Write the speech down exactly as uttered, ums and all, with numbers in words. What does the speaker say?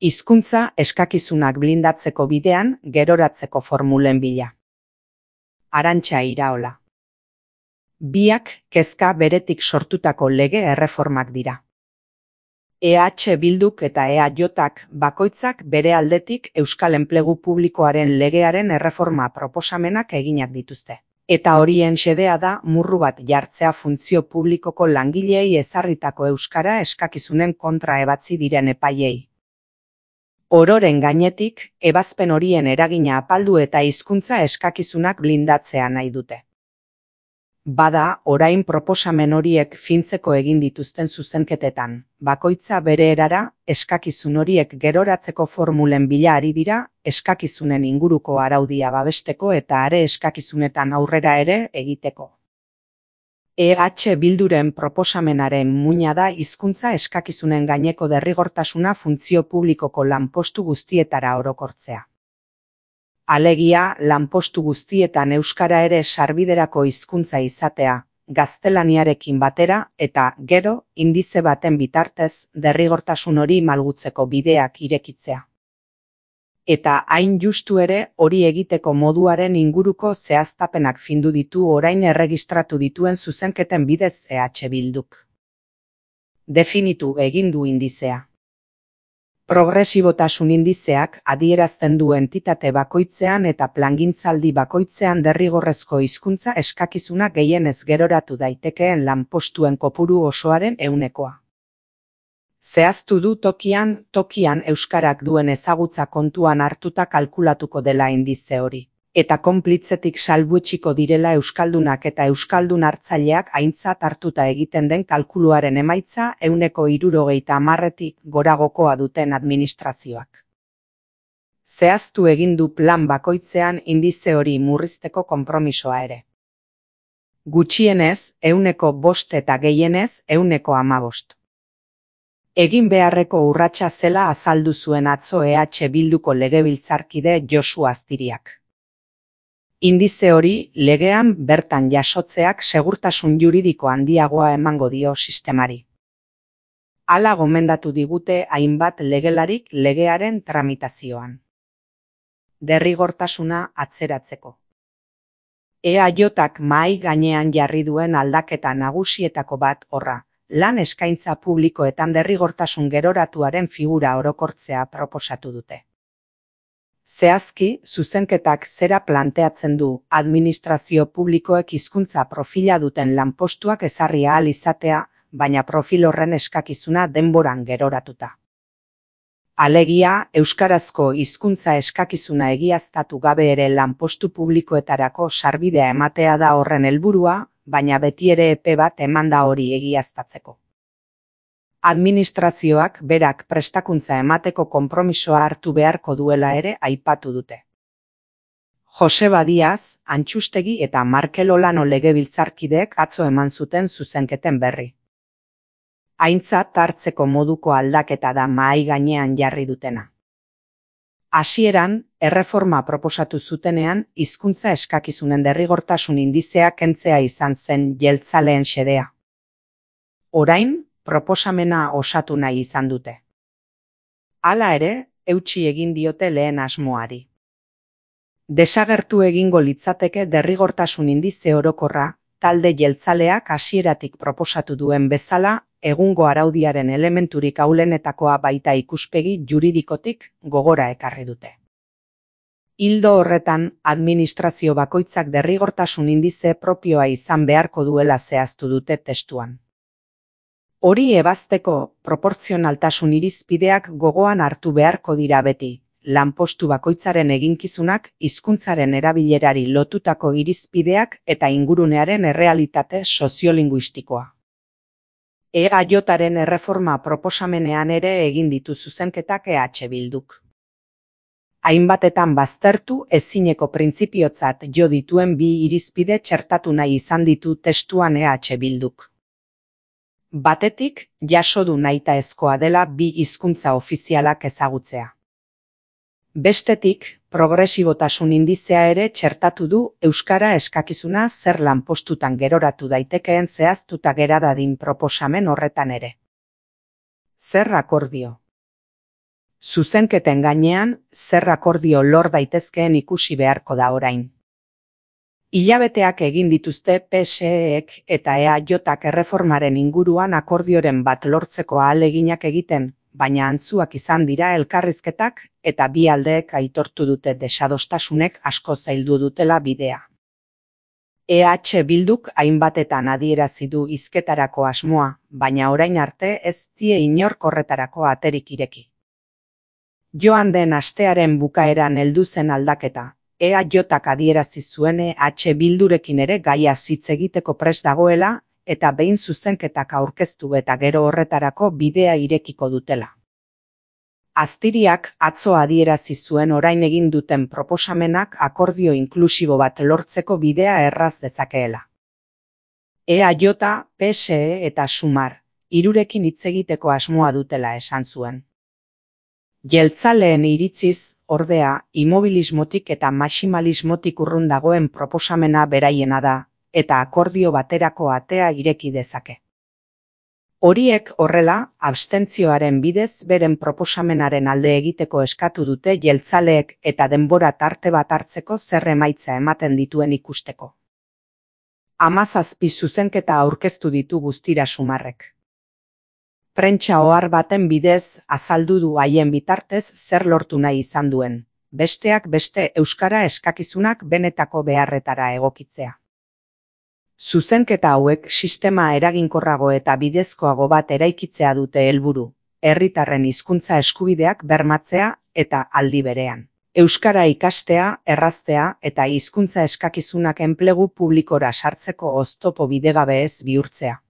Hizkuntza eskakizunak blindatzeko bidean geroratzeko formulen bila. Arantxa Iraola. Biak kezka beretik sortutako lege erreformak dira. E H Bilduk eta E A Jk bakoitzak bere aldetik Euskal Enplegu Publikoaren legearen erreforma proposamenak eginak dituzte. Eta horien xedea da murru bat jartzea funtzio publikoko langileei ezarritako euskara eskakizunen kontra ebatzi diren epaiei. Ororen gainetik, ebazpen horien eragina apaldu eta hizkuntza eskakizunak blindatzea nahi dute. Bada, orain proposamen horiek fintzeko egin dituzten zuzenketetan, bakoitza bere erara, eskakizun horiek geroratzeko formulen bila ari dira, eskakizunen inguruko araudia babesteko eta are eskakizunetan aurrera ere egiteko. E H Bilduren proposamenaren muina da hizkuntza eskakizunen gaineko derrigortasuna funtzio publikoko lanpostu guztietara orokortzea. Alegia, lanpostu guztietan euskara ere sarbiderako hizkuntza izatea, gaztelaniarekin batera eta, gero, indize baten bitartez derrigortasun hori malgutzeko bideak irekitzea. Eta hain justu ere hori egiteko moduaren inguruko zehaztapenak findu ditu orain erregistratu dituen zuzenketen bidez E H Bilduk. Definitu egin du indizea. Progresibotasun indizeak adierazten du entitate bakoitzean eta plangintzaldi bakoitzean derrigorrezko hizkuntza eskakizuna gehienez geroratu daitekeen lanpostuen kopuru osoaren ehunekoa. Zehaztu du tokian, tokian euskarak duen ezagutza kontuan hartuta kalkulatuko dela indize hori. Eta konplitzetik salbuetsiko direla euskaldunak eta euskaldun hartzaileak aintzat hartuta egiten den kalkuluaren emaitza ehuneko hirurogeita hamarretik goragokoa duten administrazioak. Zehaztu egin du plan bakoitzean indize hori murrizteko konpromisoa ere. Gutxienez, ehuneko bost eta gehienez, ehuneko hamabost. Egin beharreko urratsa zela azaldu zuen atzo E H Bilduko legebiltzarkide Josu Aztiriak. Indize hori legean bertan jasotzeak segurtasun juridiko handiagoa emango dio sistemari. Hala gomendatu digute hainbat legelarik legearen tramitazioan. Derrigortasuna atzeratzeko. E A Jk mahai gainean jarri duen aldaketa nagusietako bat horra, lan eskaintza publikoetan derrigortasun geroratuaren figura orokortzea proposatu dute. Zehazki, zuzenketak zera planteatzen du administrazio publikoek hizkuntza profila duten lanpostuak ezarri ahal izatea, baina profil horren eskakizuna denboran geroratuta. Alegia, euskarazko hizkuntza eskakizuna egiaztatu gabe ere lanpostu publikoetarako sarbidea ematea da horren helburua, baina beti ere epe bat emanda hori egiaztatzeko. Administrazioak berak prestakuntza emateko konpromisoa hartu beharko duela ere aipatu dute. Joseba Diaz, Antxustegi eta Markel Olano legebiltzarkideek atzo eman zuten zuzenketen berri. Aintzat hartzeko moduko aldaketa da mahai gainean jarri dutena. Hasieran, erreforma proposatu zutenean, hizkuntza eskakizunen derrigortasun indizea kentzea izan zen jeltzaleen xedea. Orain, proposamena osatu nahi izan dute. Hala ere, eutsi egin diote lehen asmoari. Desagertu egingo litzateke derrigortasun indize orokorra, talde jeltzaleak hasieratik proposatu duen bezala, egungo araudiaren elementurik ahulenetakoa baita ikuspegi juridikotik gogora ekarri dute. Ildo horretan, administrazio bakoitzak derrigortasun indize propioa izan beharko duela zehaztu dute testuan. Hori ebazteko, proportzionaltasun irizpideak gogoan hartu beharko dira beti, lanpostu bakoitzaren eginkizunak, hizkuntzaren erabilerari lotutako irizpideak eta ingurunearen errealitate soziolinguistikoa. E A Jren erreforma proposamenean ere egin ditu zuzenketak E H Bilduk. Hainbatetan baztertu ezineko printzipiotzat jo dituen bi irizpide txertatu nahi izan ditu testuan E H Bilduk. Batetik, jaso du nahitaezkoa dela bi hizkuntza ofizialak ezagutzea. Bestetik, progresibotasun indizea ere txertatu du euskara eskakizuna zer lanpostutan geroratu daitekeen zehaztuta gera dadin proposamen horretan ere. Zer akordio? Zuzenketen gainean, zer akordio lor daitezkeen ikusi beharko da orain. Hilabeteak egin dituzte P S Ek eta E A Jok erreformaren inguruan akordioren bat lortzeko ahaleginak egiten, baina antzuak izan dira elkarrizketak eta bi aldeek aitortu dute desadostasunek asko zaildu dutela bidea. E H Bilduk hainbatetan adierazi du hizketarako asmoa, baina orain arte ez die inork horretarako aterik ireki. Joan den astearen bukaeran heldu zen aldaketa. E A Jok adierazi zuen E H Bildurekin ere gaia hitz egiteko prest dagoela eta behin zuzenketak aurkeztu eta gero horretarako bidea irekiko dutela. Aztiriak atzo adierazi zuen orain egin duten proposamenak akordio inklusibo bat lortzeko bidea erraz dezakeela. E A Jok, P S E eta Sumar, hirurekin hitz egiteko asmoa dutela esan zuen. Jeltzaleen iritziz, ordea, immobilismotik eta maximalismotik urrun dagoen proposamena beraiena da, eta akordio baterako atea ireki dezake. Horiek horrela, abstentzioaren bidez beren proposamenaren alde egiteko eskatu dute jeltzaleek eta denbora tarte bat hartzeko zer emaitza ematen dituen ikusteko. Hamazazpi zuzenketa aurkeztu ditu guztira Sumarrek. Prentsa ohar baten bidez azaldu du haien bitartez zer lortu nahi izan duen, besteak beste euskara eskakizunak benetako beharretara egokitzea. Zuzenketa hauek sistema eraginkorrago eta bidezkoago bat eraikitzea dute helburu, herritarren hizkuntza eskubideak bermatzea eta aldi berean. Euskara ikastea, erraztea eta hizkuntza eskakizunak enplegu publikora sartzeko oztopo bidegabe ez bihurtzea.